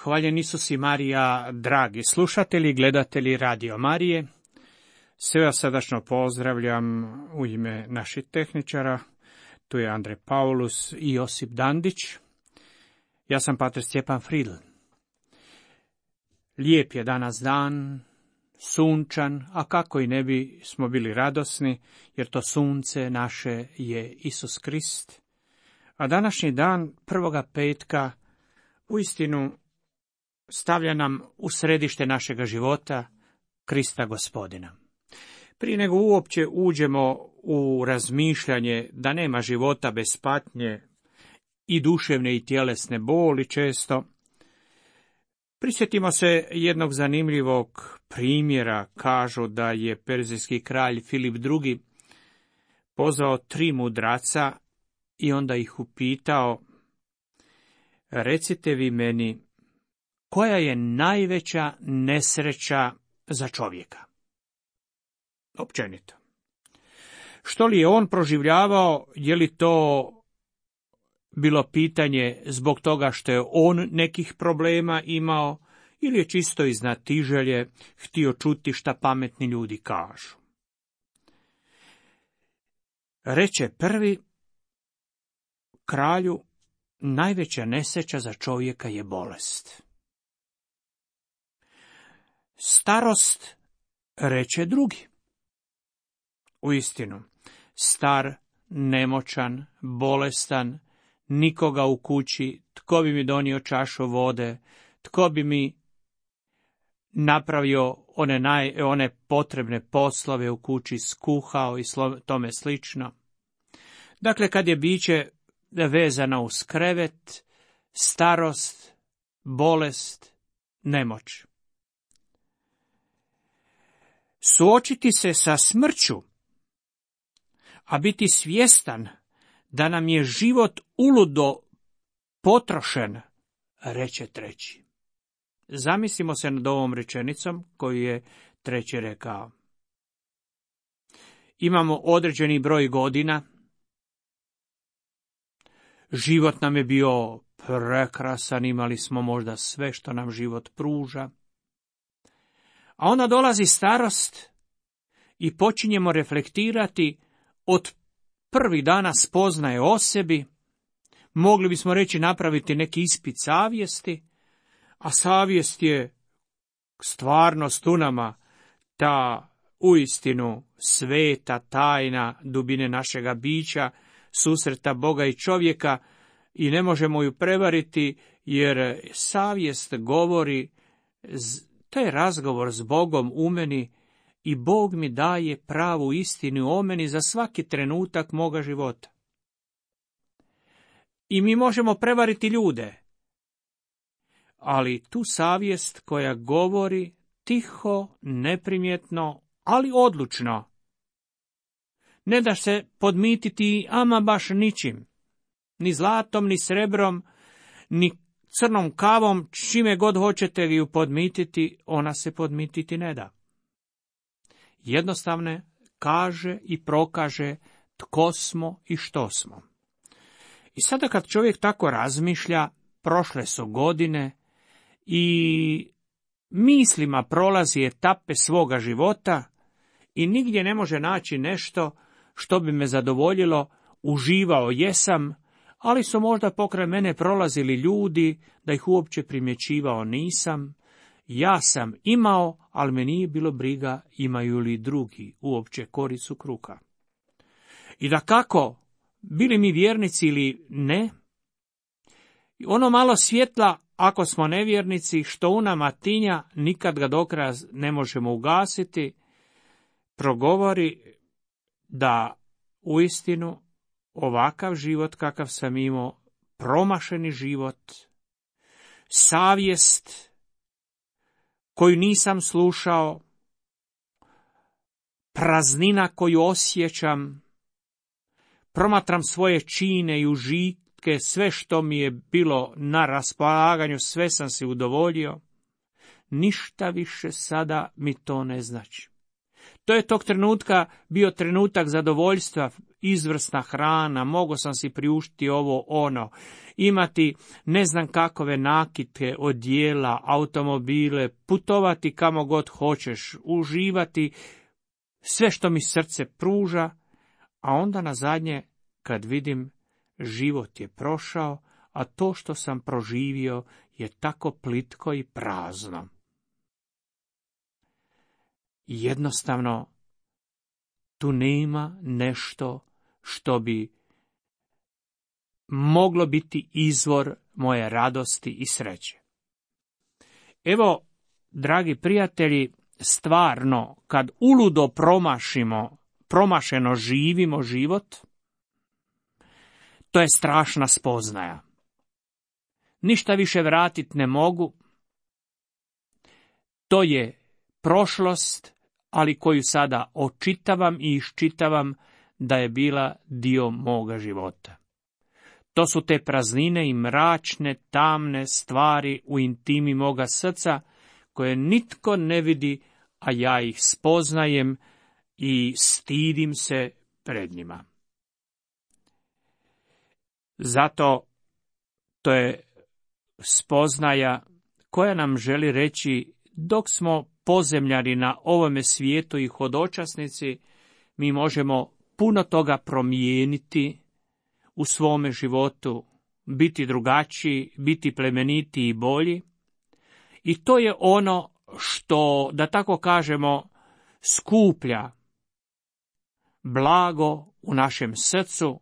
Hvaljen Isus i Marija, dragi slušatelji, gledatelji Radio Marije. Sve vas srdačno pozdravljam u ime naših tehničara. Tu je Andrej Paulus i Josip Dandić. Ja sam pater Stjepan Fridl. Lijep je danas dan, sunčan, a kako i ne bi smo bili radosni, jer to sunce naše je Isus Krist. A današnji dan, prvoga petka, uistinu stavlja nam u središte našega života Krista Gospodina. Prije nego uopće uđemo u razmišljanje da nema života bez patnje i duševne i tjelesne boli često, prisjetimo se jednog zanimljivog primjera. Kažu da je perzijski kralj Filip II. Pozvao 3 mudraca i onda ih upitao: recite vi meni, koja je najveća nesreća za čovjeka? Općenito. Što li je on proživljavao, je li to bilo pitanje zbog toga što je on nekih problema imao, ili je čisto iz znatiželje htio čuti šta pametni ljudi kažu? Reče prvi kralju: najveća nesreća za čovjeka je bolest. Starost, reče drugi. Uistinu, star, nemoćan, bolestan, nikoga u kući, tko bi mi donio čašu vode, tko bi mi napravio one potrebne poslove u kući, skuhao i tome slično. Dakle, kad je biće vezano uz krevet, starost, bolest, nemoć. Suočiti se sa smrću, a biti svjestan da nam je život uludo potrošen, reče treći. Zamislimo se nad ovom rečenicom koju je treći rekao. Imamo određeni broj godina, život nam je bio prekrasan, imali smo možda sve što nam život pruža, a onda dolazi starost i počinjemo reflektirati od prvih dana spoznaje o sebi. Mogli bismo reći napraviti neki ispit savjesti, a savjest je stvarnost u nama, ta uistinu sveta tajna dubine našega bića, susreta Boga i čovjeka, i ne možemo ju prevariti, jer savjest govori, to je razgovor s Bogom u meni i Bog mi daje pravu istinu o meni za svaki trenutak moga života. I mi možemo prevariti ljude, ali tu savjest koja govori tiho, neprimjetno, ali odlučno, ne da se podmititi ama baš ničim, ni zlatom, ni srebrom, ni crnom kavom, čime god hoćete vi ju podmititi, ona se podmititi ne da. Jednostavno kaže i prokaže tko smo i što smo. I sada kad čovjek tako razmišlja, prošle su godine i mislima prolazi etape svoga života i nigdje ne može naći nešto što bi me zadovoljilo, uživao jesam, ali su možda pokraj mene prolazili ljudi, da ih uopće primjećivao nisam. Ja sam imao, ali me nije bilo briga imaju li drugi uopće koricu kruha. I dakako, bili mi vjernici ili ne, ono malo svjetla, ako smo nevjernici, što u nama tinja, nikad ga do kraja ne možemo ugasiti, progovori da uistinu ovakav život kakav sam imao, promašeni život, savjest koju nisam slušao, praznina koju osjećam, promatram svoje čine i užitke, sve što mi je bilo na raspolaganju, sve sam si udovoljio, ništa više sada mi to ne znači. To je tog trenutka bio trenutak zadovoljstva, izvrsna hrana, mogao sam si priuštiti ovo, ono, imati ne znam kakove nakitke, odjela, automobile, putovati kamo god hoćeš, uživati sve što mi srce pruža, a onda na zadnje, kad vidim, život je prošao, a to što sam proživio je tako plitko i prazno. Jednostavno, tu nema nešto što bi moglo biti izvor moje radosti i sreće. Evo, dragi prijatelji, stvarno, kad uludo promašeno živimo život, to je strašna spoznaja. Ništa više vratiti ne mogu. To je prošlost, ali koju sada očitavam i iščitavam da je bila dio moga života. To su te praznine i mračne, tamne stvari u intimi moga srca, koje nitko ne vidi, a ja ih spoznajem i stidim se pred njima. Zato to je spoznaja koja nam želi reći, dok smo pozemljani na ovome svijetu i hodočasnici, mi možemo puno toga promijeniti u svome životu, biti drugačiji, biti plemeniti i bolji. I to je ono što, da tako kažemo, skuplja blago u našem srcu,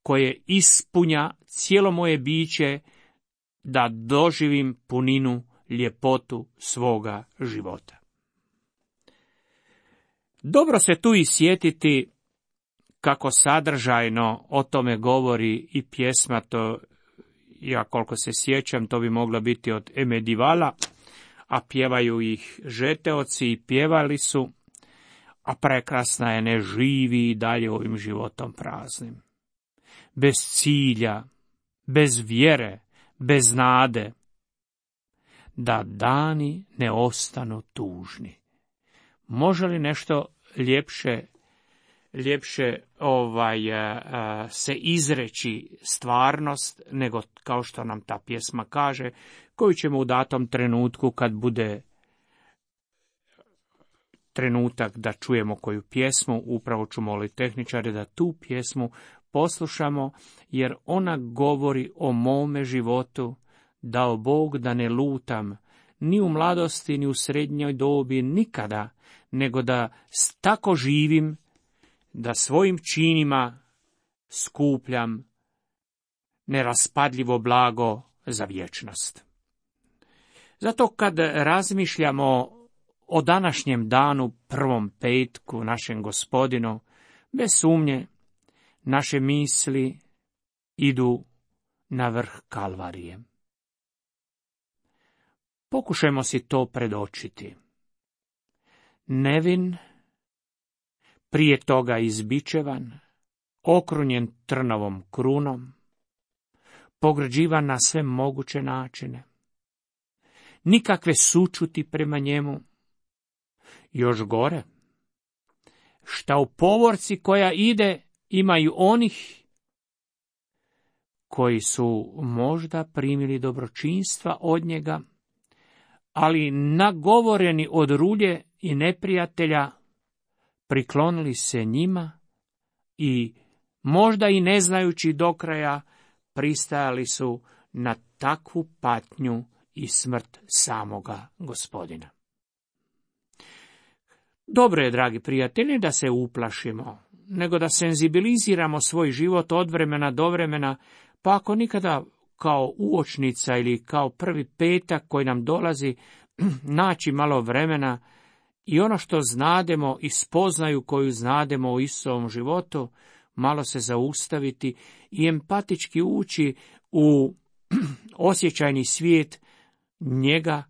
koje ispunja cijelo moje biće da doživim puninu, ljepotu svoga života. Dobro se tu i sjetiti kako sadržajno o tome govori i pjesma, to ja koliko se sjećam, to bi moglo biti od Emedivala, a pjevaju ih Žeteoci i pjevali su, a prekrasna je, ne živi i dalje ovim životom praznim. Bez cilja, bez vjere, bez nade, da dani ne ostanu tužni. Može li nešto ljepše se izreći stvarnost, nego kao što nam ta pjesma kaže, koju ćemo u datom trenutku, kad bude trenutak da čujemo koju pjesmu, upravo ću moliti tehničare da tu pjesmu poslušamo, jer ona govori o mome životu, dao Bog da ne lutam, ni u mladosti, ni u srednjoj dobi, nikada, nego da tako živim, da svojim činima skupljam neraspadljivo blago za vječnost. Zato kad razmišljamo o današnjem danu, prvom petku, našem Gospodinu, bez sumnje, naše misli idu na vrh Kalvarije. Pokušajmo si to predočiti. Nevin, prije toga izbičevan, okrunjen trnovom krunom, pograđivan na sve moguće načine, nikakve sućuti prema njemu, još gore, šta u povorci koja ide imaju onih koji su možda primili dobročinstva od njega, ali nagovoreni od rulje i neprijatelja, priklonili se njima i možda i ne znajući do kraja pristajali su na takvu patnju i smrt samoga Gospodina. Dobro je, dragi prijatelji, da se uplašimo, nego da senzibiliziramo svoj život od vremena do vremena, pa ako nikada kao uočnica ili kao prvi petak koji nam dolazi, naći malo vremena i ono što znademo i spoznaju koju znademo u Isusovom životu, malo se zaustaviti i empatički ući u osjećajni svijet njega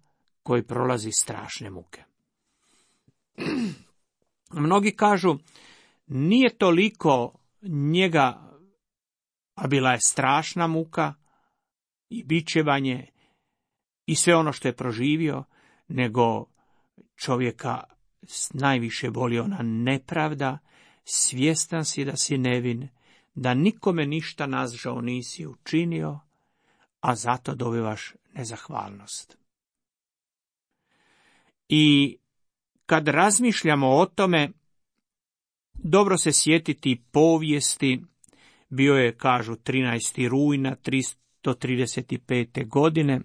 koji prolazi strašne muke. Mnogi kažu, nije toliko njega, a bila je strašna muka i bičevanje i sve ono što je proživio, nego čovjeka najviše boli ona nepravda, svjestan si da si nevin, da nikome ništa nažao nisi učinio, a zato dobivaš nezahvalnost. I kad razmišljamo o tome, dobro se sjetiti povijesti. Bio je, kažu, 13. rujna 335. godine.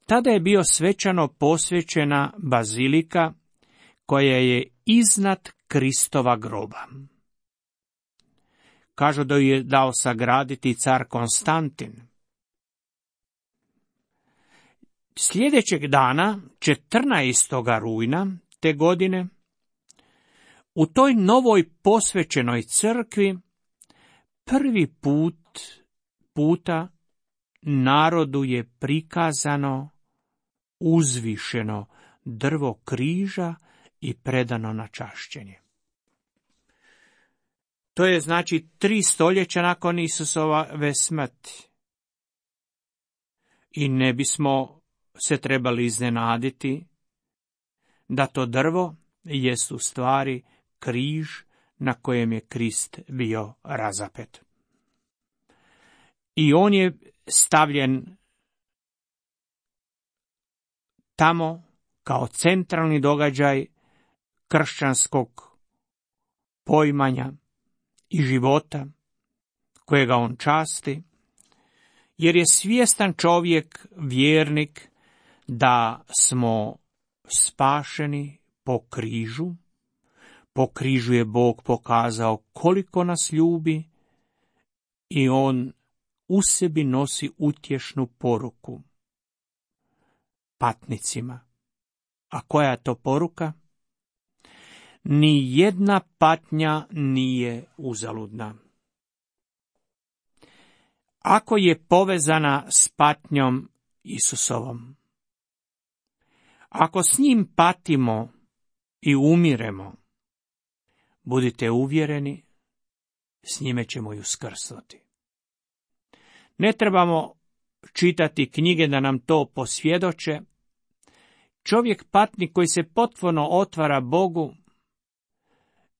Tada je bio svečano posvećena bazilika koja je iznad Kristova groba. Kažu da ju je dao sagraditi car Konstantin. Sljedećeg dana, 14. rujna te godine, u toj novoj posvećenoj crkvi prvi puta narodu je prikazano uzvišeno drvo križa i predano na čašćenje. To je znači 3 stoljeća nakon Isusove smrti. I ne bismo se trebali iznenaditi da to drvo jest u stvari križ na kojem je Krist bio razapet. I on je stavljen tamo kao centralni događaj kršćanskog poimanja i života kojega on časti, jer je svjestan čovjek, vjernik, da smo spašeni po križu. Po križu je Bog pokazao koliko nas ljubi i on u sebi nosi utješnu poruku patnicima. A koja je to poruka? Ni jedna patnja nije uzaludna. Ako je povezana s patnjom Isusovom, ako s njim patimo i umiremo, budite uvjereni, s njime ćemo i uskrsnuti. Ne trebamo čitati knjige da nam to posvjedoče. Čovjek patnik koji se potpuno otvara Bogu,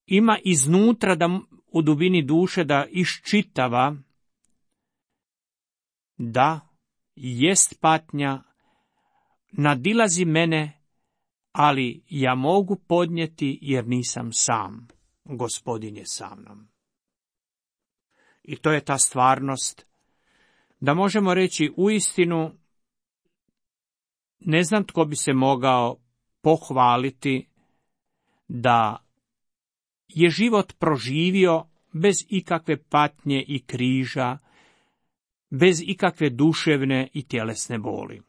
ima iznutra da u dubini duše da iščitava da jest patnja, nadilazi mene, ali ja mogu podnijeti jer nisam sam. Gospodin je sa mnom. I to je ta stvarnost da možemo reći uistinu, ne znam tko bi se mogao pohvaliti da je život proživio bez ikakve patnje i križa, bez ikakve duševne i tjelesne boli.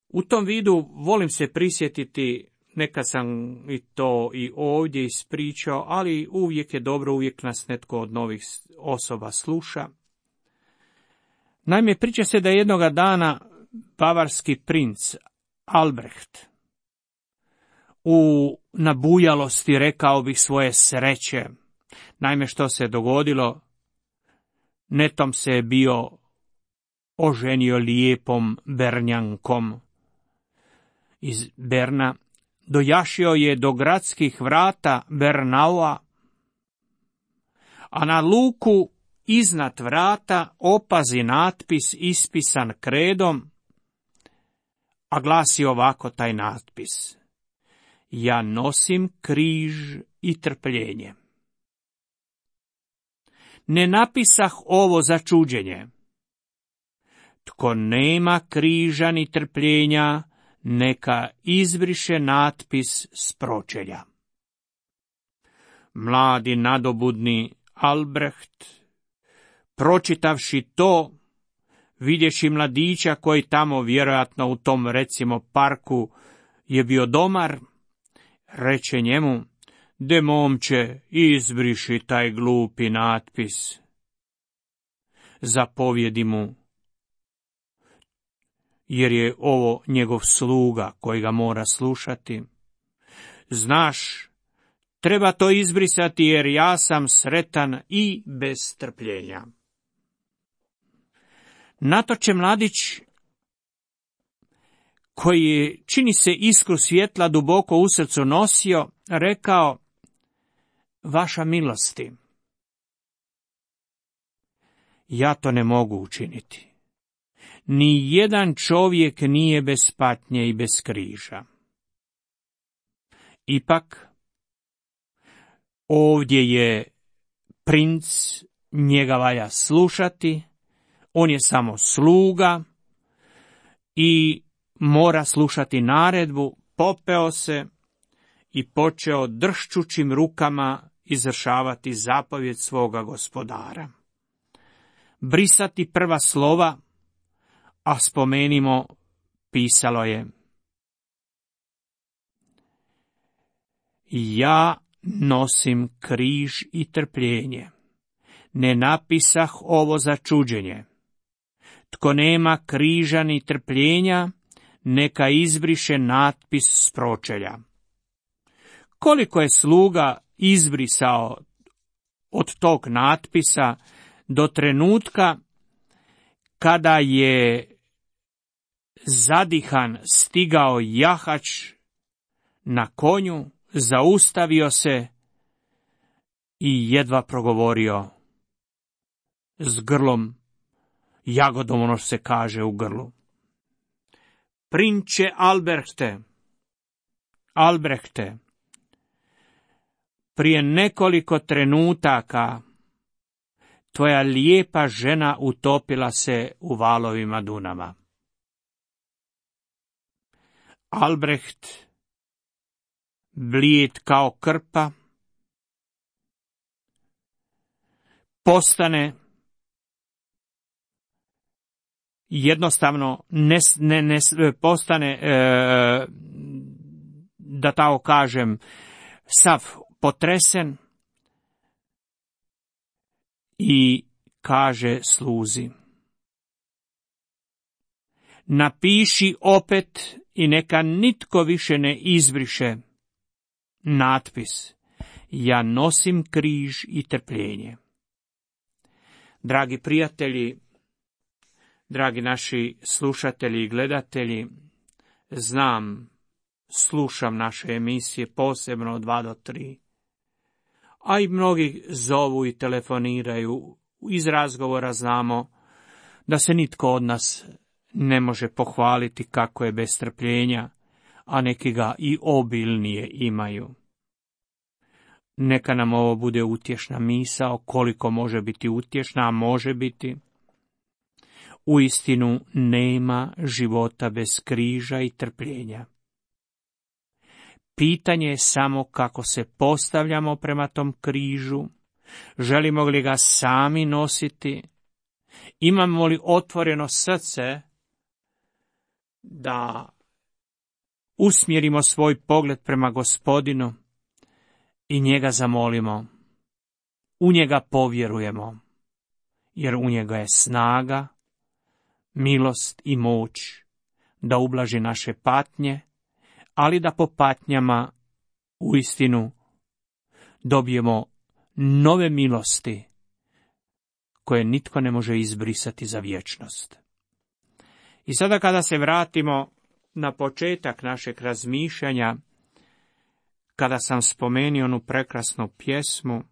U tom vidu volim se prisjetiti, neka sam i to i ovdje ispričao, ali uvijek je dobro, uvijek nas netko od novih osoba sluša. Naime, priča se da je jednoga dana bavarski princ Albrecht u nabujalosti, rekao bih, svoje sreće. Naime, što se dogodilo? Netom se je bio oženio lijepom Bernjankom iz Berna, dojašio je do gradskih vrata Bernaua, a na luku iznad vrata opazi natpis ispisan kredom, a glasi ovako taj natpis: ja nosim križ i trpljenje. Ne napisah ovo za čuđenje. Tko nema križa ni trpljenja, neka izbriše natpis s pročelja. Mladi nadobudni Albrecht, pročitavši to, vidješi mladića koji tamo vjerojatno u tom, recimo, parku je bio domar, reče njemu: de momče, izbriši taj glupi natpis. Zapovjedi mu, jer je ovo njegov sluga koji ga mora slušati: znaš, treba to izbrisati jer ja sam sretan i bez strpljenja. Na to će mladić, koji je, čini se, iskru svjetla duboko u srcu nosio, rekao: vaša milosti. Ja to ne mogu učiniti. Ni jedan čovjek nije bez patnje i bez križa. Ipak, ovdje je princ, njega valja slušati, on je samo sluga i mora slušati naredbu. Popeo se i počeo dršćućim rukama izvršavati zapovjed svoga gospodara. Brisati prva slova, a spomenimo, pisalo je: ja nosim križ i trpljenje, ne napisah ovo za čuđenje. Tko nema križa ni trpljenja, neka izbriše natpis s pročelja. Koliko je sluga izbrisao od tog natpisa do trenutka kada je zadihan stigao jahač na konju, zaustavio se i jedva progovorio s grlom, jagodom, ono što se kaže u grlu: prinče Albrehte, prije nekoliko trenutaka tvoja lijepa žena utopila se u valovima Dunava. Albrecht, blijed kao krpa, postane jednostavno postane, da tako kažem, sav potresen i kaže sluzi: napiši opet i neka nitko više ne izbriše natpis: ja nosim križ i trpljenje. Dragi prijatelji, dragi naši slušatelji i gledatelji, znam, slušam naše emisije posebno od 2 do 3, a i mnogi zovu i telefoniraju. Iz razgovora znamo da se nitko od nas ne može pohvaliti kako je bez strpljenja, a neki ga i obilnije imaju. Neka nam ovo bude utješna misao, koliko može biti utješna, a može biti. Uistinu nema života bez križa i trpljenja. Pitanje je samo kako se postavljamo prema tom križu, želimo li ga sami nositi, imamo li otvoreno srce da usmjerimo svoj pogled prema Gospodinu i njega zamolimo, u njega povjerujemo, jer u njega je snaga, milost i moć da ublaži naše patnje, ali da po patnjama uistinu dobijemo nove milosti koje nitko ne može izbrisati za vječnost. I sada kada se vratimo na početak našeg razmišljanja, kada sam spomenuo onu prekrasnu pjesmu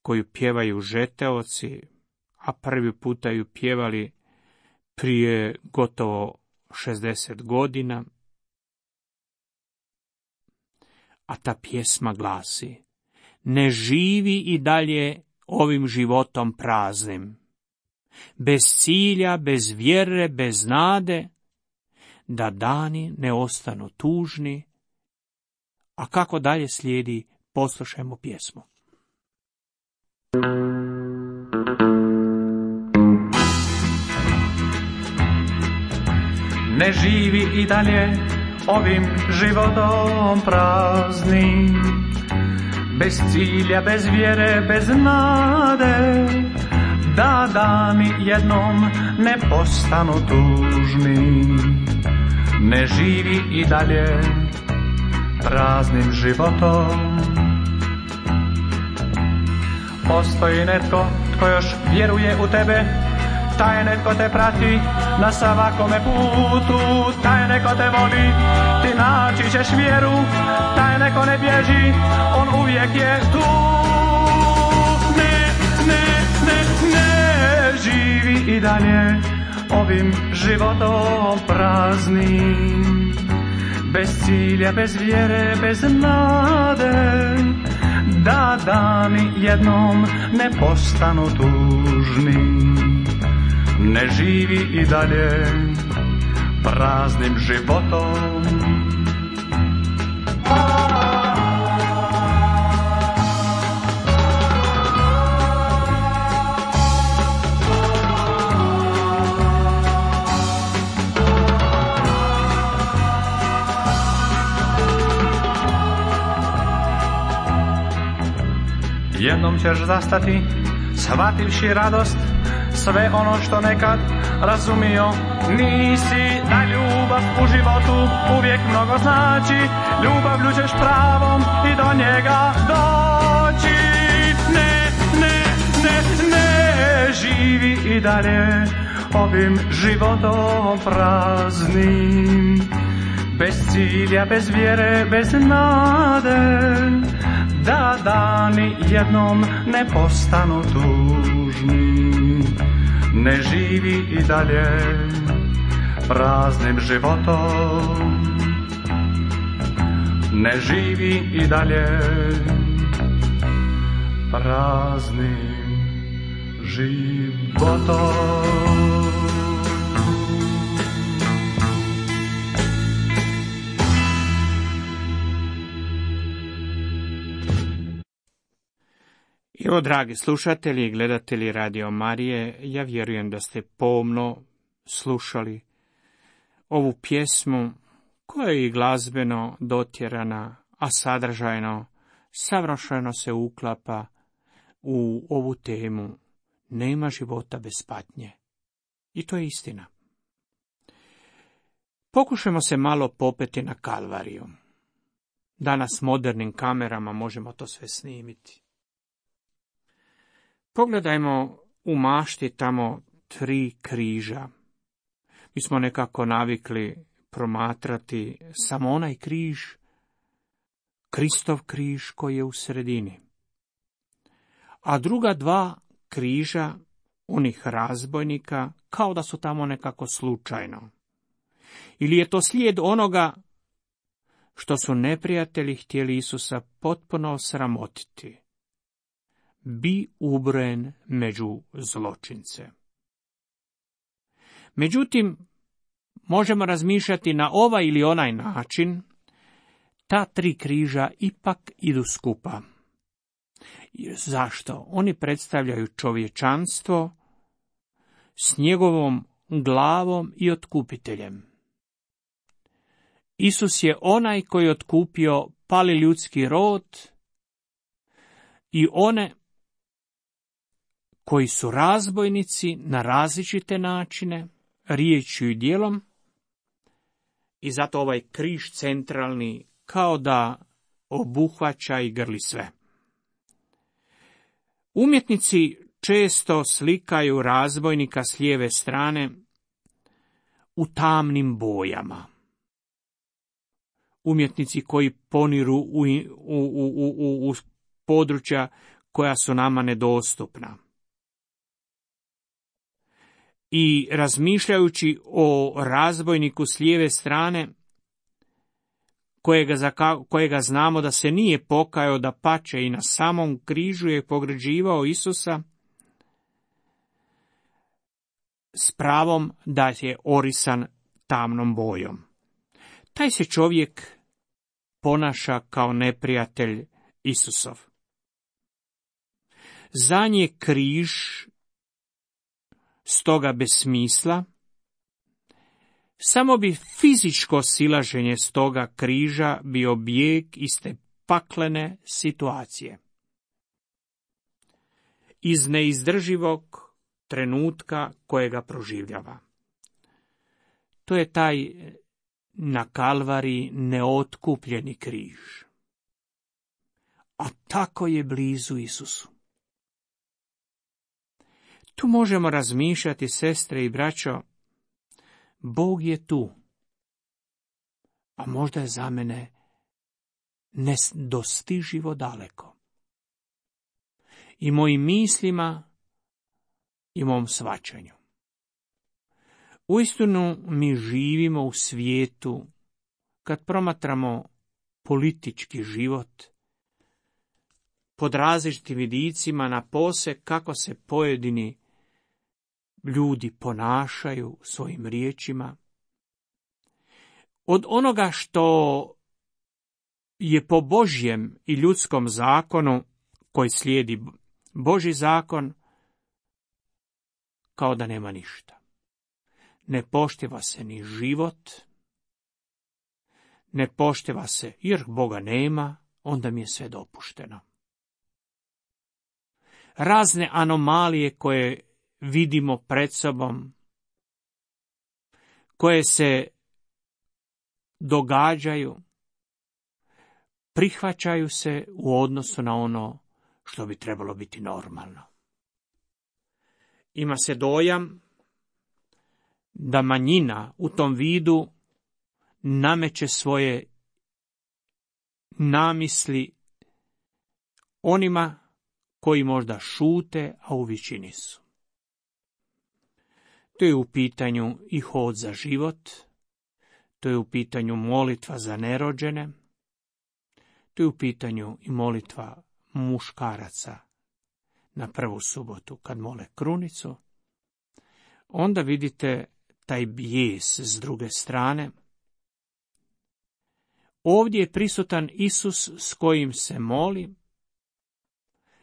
koju pjevaju žeteoci, a prvi puta ju pjevali prije gotovo 60 godina, a ta pjesma glasi: ne živi i dalje ovim životom praznim, bez cilja, bez vjere, bez nade, da dani ne ostanu tužni. A kako dalje slijedi, poslušajmo pjesmu. Ne živi i dalje ovim životom praznim, bez cilja, bez vjere, bez nade, da dani jednom ne postanu tužni. Ne živi i dalje praznim životom. Postoji netko tko još vjeruje u tebe, taj netko te prati na svakome putu, taj neko te voli, ti naći ćeš vjeru, taj neko ne bježi, on uvijek je tu. Ne živi i dalje ovim životom praznim, bez cilja, bez vjere, bez nade, da dani jednom ne postanu tužni. Ne živi i dalje praznim životom. Jednom ćeš zastati, shvativši radost, sve ono što nekad razumio nisi, da ljubav u životu uvijek mnogo znači, ljubavlju ćeš pravom i do njega doći. Ne živi i dalje ovim životom praznim, bez cilja, bez vjere, bez nade, da dani jednom ne postanu tužni. Ne živi i dalje praznim životom. Ne živi i dalje praznim životom. Evo, dragi slušatelji i gledatelji Radio Marije, ja vjerujem da ste pomno slušali ovu pjesmu koja je i glazbeno dotjerana, a sadržajno savršeno se uklapa u ovu temu nema života bez patnje. I to je istina. Pokušajmo se malo popeti na Kalvariju. Danas modernim kamerama možemo to sve snimiti. Pogledajmo u mašti tamo 3 križa. Mi smo nekako navikli promatrati samo onaj križ, Kristov križ koji je u sredini. A druga 2 križa, onih razbojnika, kao da su tamo nekako slučajno. Ili je to slijed onoga što su neprijatelji htjeli Isusa potpuno osramotiti. Bi ubrojen među zločince. Međutim, možemo razmišljati na ovaj ili onaj način, ta 3 križa ipak idu skupa. Zašto? Oni predstavljaju čovječanstvo s njegovom glavom i otkupiteljem. Isus je onaj koji je otkupio pali ljudski rod i one koji su razbojnici na različite načine, riječju i djelom, i zato ovaj križ centralni kao da obuhvaća i grli sve. Umjetnici često slikaju razbojnika s lijeve strane u tamnim bojama. Umjetnici koji poniru u područja koja su nama nedostupna. I razmišljajući o razbojniku s lijeve strane, kojega znamo da se nije pokajao, da pače i na samom križu je pogređivao Isusa, s pravom da je orisan tamnom bojom. Taj se čovjek ponaša kao neprijatelj Isusov. Za nje križ stoga bez smisla, samo bi fizičko silaženje s toga križa bio bijeg iz te paklene situacije. Iz neizdrživog trenutka kojega proživljava. To je taj na Kalvariji neotkupljeni križ. A tako je blizu Isusu. Tu možemo razmišljati, sestre i braćo, Bog je tu, a možda je za mene nedostiživo daleko. I mojim mislima i mom shvaćanju. Uistinu mi živimo u svijetu, kad promatramo politički život, pod različitim vidicima napose kako se pojedini ljudi ponašaju svojim riječima. Od onoga što je po Božjem i ljudskom zakonu, koji slijedi Božji zakon, kao da nema ništa. Ne poštiva se ni život, ne poštiva se, jer Boga nema, onda mi je sve dopušteno. Razne anomalije koje vidimo pred sobom, koje se događaju, prihvaćaju se u odnosu na ono što bi trebalo biti normalno. Ima se dojam da manjina u tom vidu nameće svoje namisli onima koji možda šute, a u većini su. To je u pitanju i hod za život, to je u pitanju molitva za nerođene, to je u pitanju i molitva muškaraca na prvu subotu kad mole krunicu. Onda vidite taj bijes s druge strane. Ovdje je prisutan Isus s kojim se moli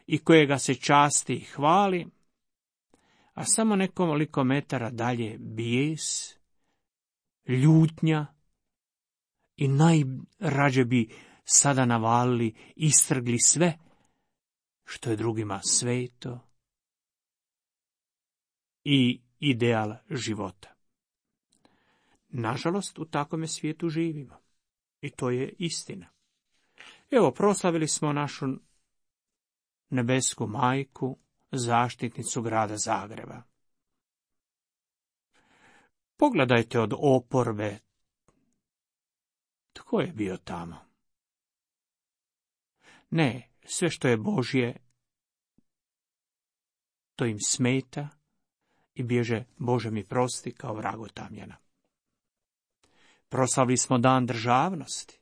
i kojega se časti i hvali, a samo nekoliko metara dalje bijes, ljutnja i najrađe bi sada navalili, istrgli sve što je drugima sveto i ideal života. Nažalost, u takvome svijetu živimo. I to je istina. Evo, proslavili smo našu nebesku majku, zaštitnicu grada Zagreba. Pogledajte od oporbe. Tko je bio tamo? Ne, sve što je Božje, to im smeta i bježe, Bože mi prosti, kao vragu tamjana. Proslavili smo dan državnosti.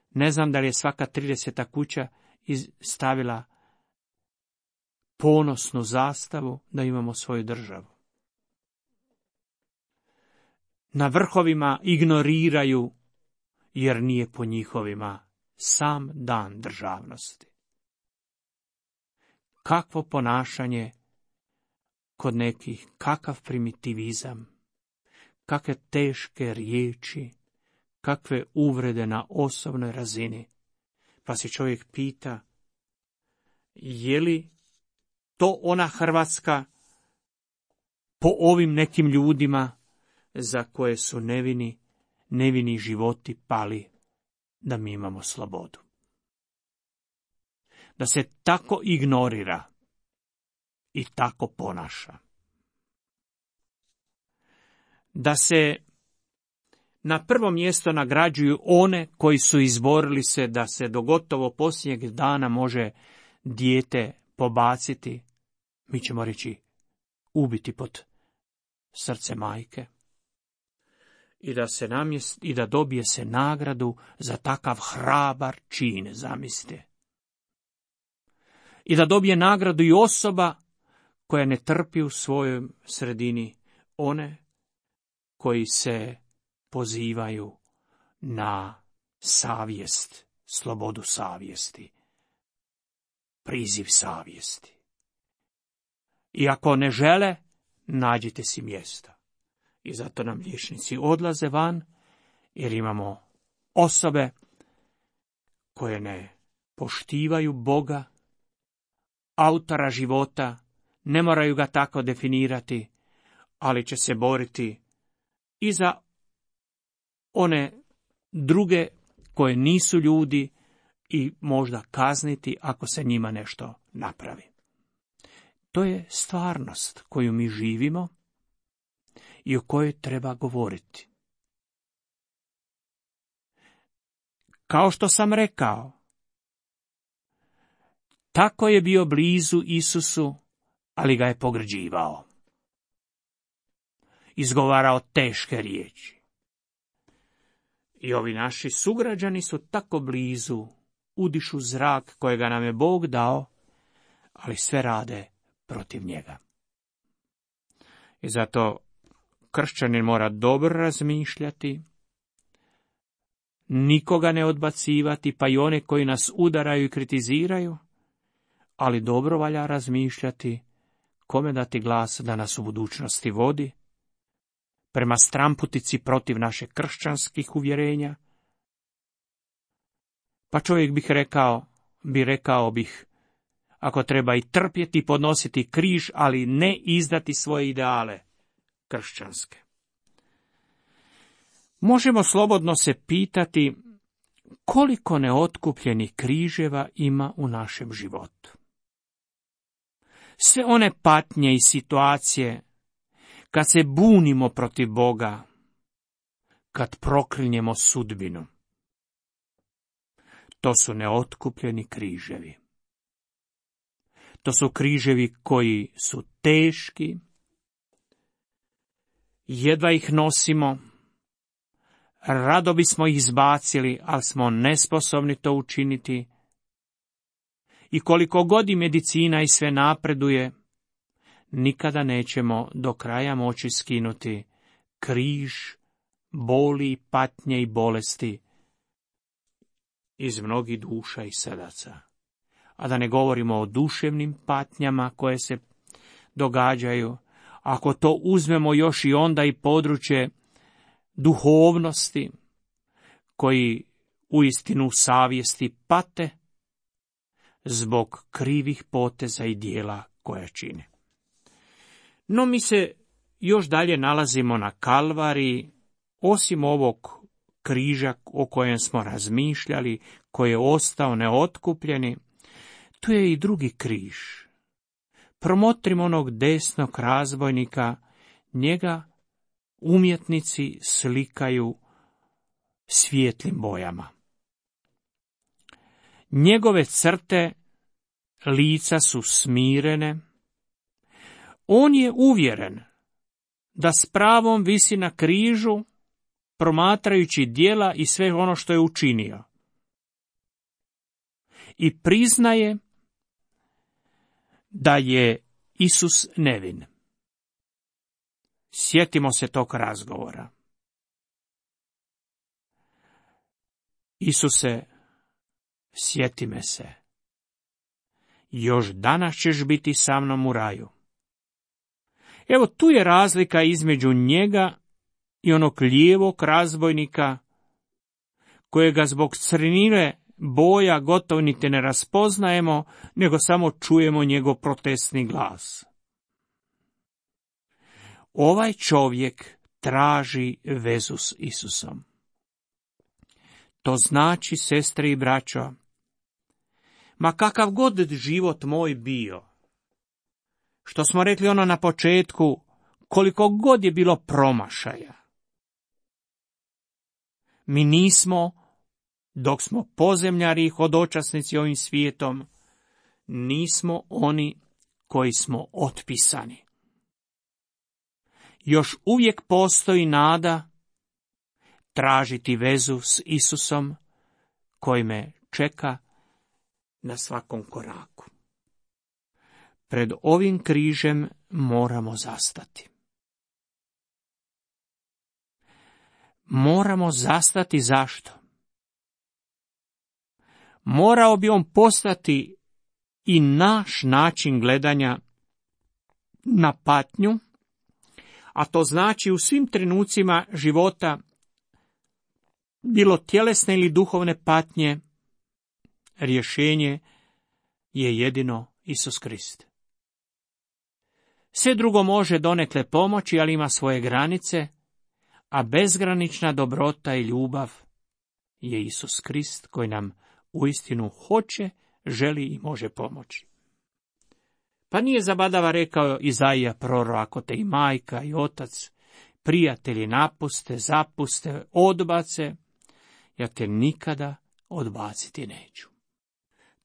Ne znam da li je svaka 30. kuća stavila ponosnu zastavu da imamo svoju državu. Na vrhovima ignoriraju, jer nije po njihovima sam dan državnosti. Kakvo ponašanje kod nekih, kakav primitivizam, kakve teške riječi, kakve uvrede na osobnoj razini. Pa se čovjek pita, je li to ona Hrvatska po ovim nekim ljudima za koje su nevini životi pali, da mi imamo slobodu. Da se tako ignorira i tako ponaša. Da se na prvo mjesto nagrađuju one koji su izborili se da se do gotovo posljednjeg dana može dijete pobaciti, mi ćemo reći ubiti pod srce majke. I da dobije se nagradu za takav hrabar čin, zamislite. I da dobije nagradu i osoba koja ne trpi u svojoj sredini one koji se pozivaju na savjest, slobodu savjesti, priziv savjesti. I ako ne žele, nađite si mjesta. I zato nam liječnici odlaze van, jer imamo osobe koje ne poštivaju Boga, autora života, ne moraju ga tako definirati, ali će se boriti i za one druge koje nisu ljudi i možda kazniti ako se njima nešto napravi. To je stvarnost koju mi živimo i o kojoj treba govoriti. Kao što sam rekao, tako je bio blizu Isusu, ali ga je pogrđivao. Izgovarao teške riječi. I ovi naši sugrađani su tako blizu, udišu zrak kojega nam je Bog dao, ali sve rade protiv njega. I zato kršćanin mora dobro razmišljati, nikoga ne odbacivati, pa i one koji nas udaraju i kritiziraju, ali dobro valja razmišljati kome dati glas da nas u budućnosti vodi, prema stramputici protiv naše kršćanskih uvjerenja. Pa čovjek rekao bih, ako treba i trpjeti i podnositi križ, ali ne izdati svoje ideale kršćanske. Možemo slobodno se pitati koliko neotkupljenih križeva ima u našem životu. Sve one patnje i situacije kad se bunimo protiv Boga, kad proklinjemo sudbinu. To su neotkupljeni križevi. To su križevi koji su teški, jedva ih nosimo, rado bismo ih izbacili, ali smo nesposobni to učiniti. I koliko god i medicina i sve napreduje, nikada nećemo do kraja moći skinuti križ boli, patnje i bolesti iz mnogih duša i srdaca. A da ne govorimo o duševnim patnjama koje se događaju. Ako to uzmemo još i onda i područje duhovnosti, koji uistinu u savjesti pate zbog krivih poteza i dijela koja čine. No mi se još dalje nalazimo na Kalvariji, osim ovog križa o kojem smo razmišljali, koji je ostao neotkupljeni, tu je i drugi križ. Promotrimo onog desnog razbojnika, njega umjetnici slikaju svijetlim bojama. Njegove crte lica su smirene. On je uvjeren da s pravom visi na križu, promatrajući djela i sve ono što je učinio. I priznaje da je Isus nevin. Sjetimo se tog razgovora. Isuse, sjeti me se. Još danas ćeš biti sa mnom u raju. Evo tu je razlika između njega i onog lijevog razbojnika, kojega zbog crnile boja gotovo niti ne raspoznajemo, nego samo čujemo njegov protestni glas. Ovaj čovjek traži vezu s Isusom. To znači, sestre i braćo, ma kakav god život moj bio, što smo rekli ono na početku, koliko god je bilo promašaja, mi nismo, dok smo pozemljari i hodočasnici ovim svijetom, nismo oni koji smo otpisani. Još uvijek postoji nada tražiti vezu s Isusom koji me čeka na svakom koraku. Pred ovim križem moramo zastati. Moramo zastati zašto? Morao bi on postati i naš način gledanja na patnju, a to znači u svim trenucima života, bilo tjelesne ili duhovne patnje, rješenje je jedino Isus Krist. Sve drugo može donekle pomoći, ali ima svoje granice, a bezgranična dobrota i ljubav je Isus Krist koji nam uistinu hoće, želi i može pomoći. Pa nije zabadava rekao Izaija prorok, ako te i majka i otac, prijatelji napuste, zapuste, odbace, ja te nikada odbaciti neću.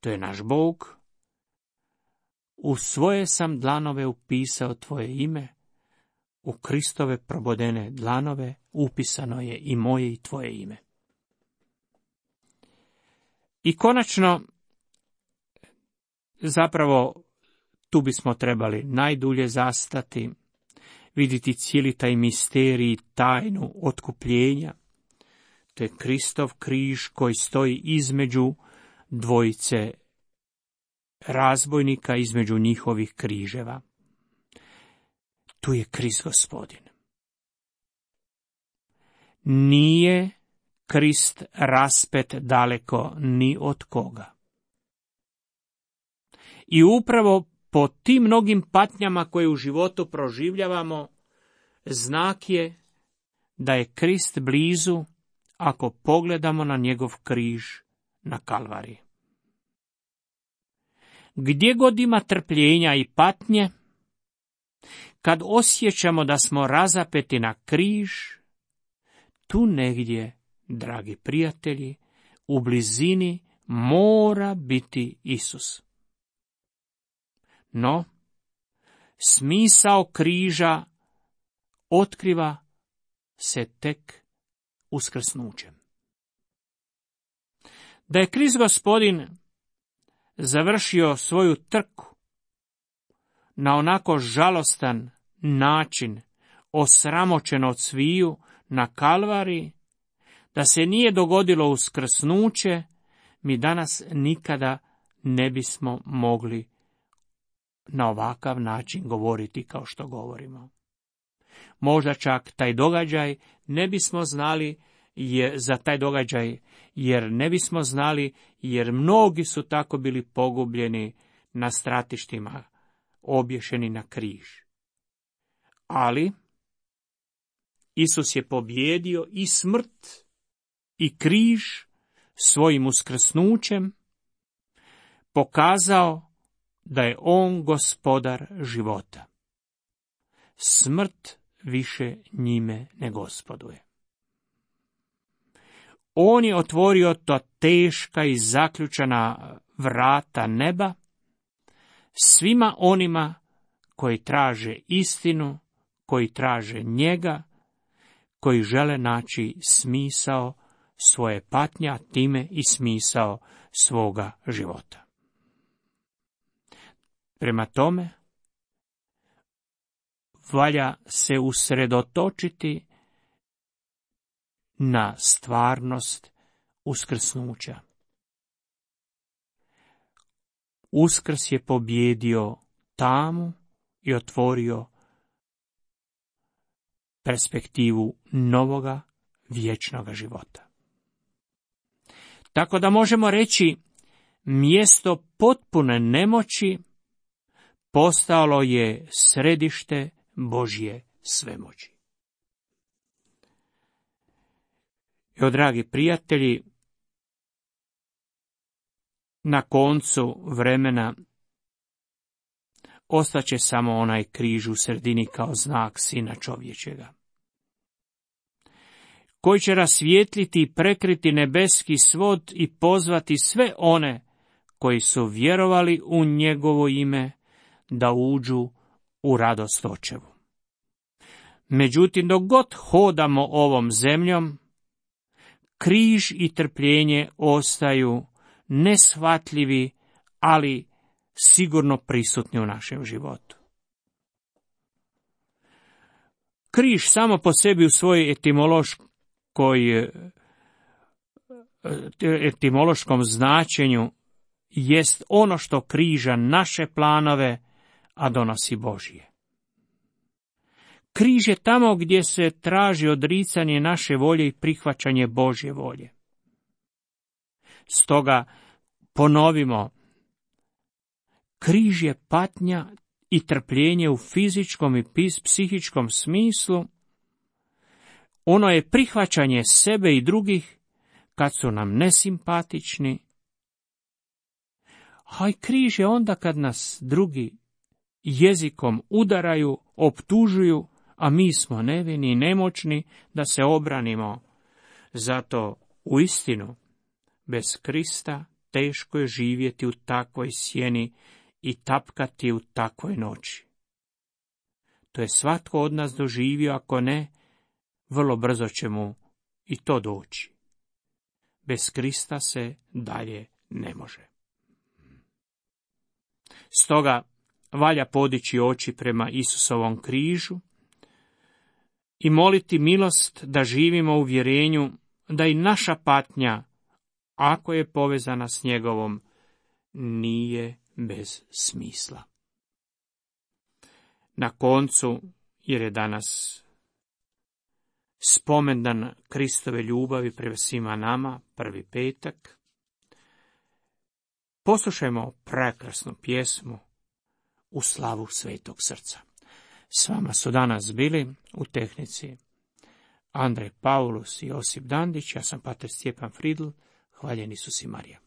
To je naš Bog. U svoje sam dlanove upisao tvoje ime, u Kristove probodene dlanove upisano je i moje i tvoje ime. I konačno, zapravo, tu bismo trebali najdulje zastati, vidjeti cijeli taj misterij, tajnu otkupljenja. To je Kristov križ koji stoji između dvojice razbojnika, između njihovih križeva. Tu je Krist Gospodin. Nije Krist raspet daleko ni od koga. I upravo po tim mnogim patnjama koje u životu proživljavamo, znak je da je Krist blizu ako pogledamo na njegov križ na Kalvariji. Gdje god ima trpljenja i patnje, kad osjećamo da smo razapeti na križ, tu negdje, dragi prijatelji, u blizini mora biti Isus. No, smisao križa otkriva se tek uskrsnućem. Da je Krist Gospodin završio svoju trku na onako žalostan način, osramoćen od sviju na Kalvariji, da se nije dogodilo uskrsnuće, mi danas nikada ne bismo mogli na ovakav način govoriti kao što govorimo. Možda čak taj događaj ne bismo znali za taj događaj, jer ne bismo znali, jer mnogi su tako bili pogubljeni na stratištima, obješeni na križ. Ali Isus je pobjedio i smrt i križ svojim uskrsnućem, pokazao da je on gospodar života. Smrt više njime ne gospoduje. On je otvorio ta teška i zaključana vrata neba svima onima koji traže istinu, koji traže njega, koji žele naći smisao svoje patnje, a time i smisao svoga života. Prema tome, valja se usredotočiti na stvarnost uskrsnuća. Uskrs je pobjedio tamu i otvorio perspektivu novoga vječnoga života. Tako da možemo reći, mjesto potpune nemoći postalo je središte Božje svemoći. Evo, dragi prijatelji, na koncu vremena ostaće samo onaj križ u sredini kao znak Sina čovječega, koji će rasvijetliti i prekriti nebeski svod i pozvati sve one koji su vjerovali u njegovo ime da uđu u radost Očevu. Međutim, dok god hodamo ovom zemljom, križ i trpljenje ostaju neshvatljivi, ali sigurno prisutni u našem životu. Križ samo po sebi u svojoj etimološkom značenju jest ono što križa naše planove, a donosi Božje. Križ je tamo gdje se traži odricanje naše volje i prihvaćanje Božje volje. Stoga ponovimo, križ je patnja i trpljenje u fizičkom i psihičkom smislu. Ono je prihvaćanje sebe i drugih kad su nam nesimpatični. A i križ je onda kad nas drugi jezikom udaraju, optužuju, a mi smo nevini i nemoćni da se obranimo. Zato uistinu bez Krista teško je živjeti u takvoj sjeni i tapkati u takvoj noći. To je svatko od nas doživio, ako ne, vrlo brzo će mu i to doći. Bez Krista se dalje ne može. Stoga valja podići oči prema Isusovom križu i moliti milost da živimo u uvjerenju da i naša patnja, ako je povezana s njegovom, nije bez smisla. Na koncu, jer je danas spomendan Kristove ljubavi prema svima nama, prvi petak, poslušajmo prekrasnu pjesmu U slavu Svetog Srca. S vama su danas bili u tehnici Andrej Paulus i Josip Dandić, ja sam pater Stjepan Fridl, hvaljen Isus i Marija.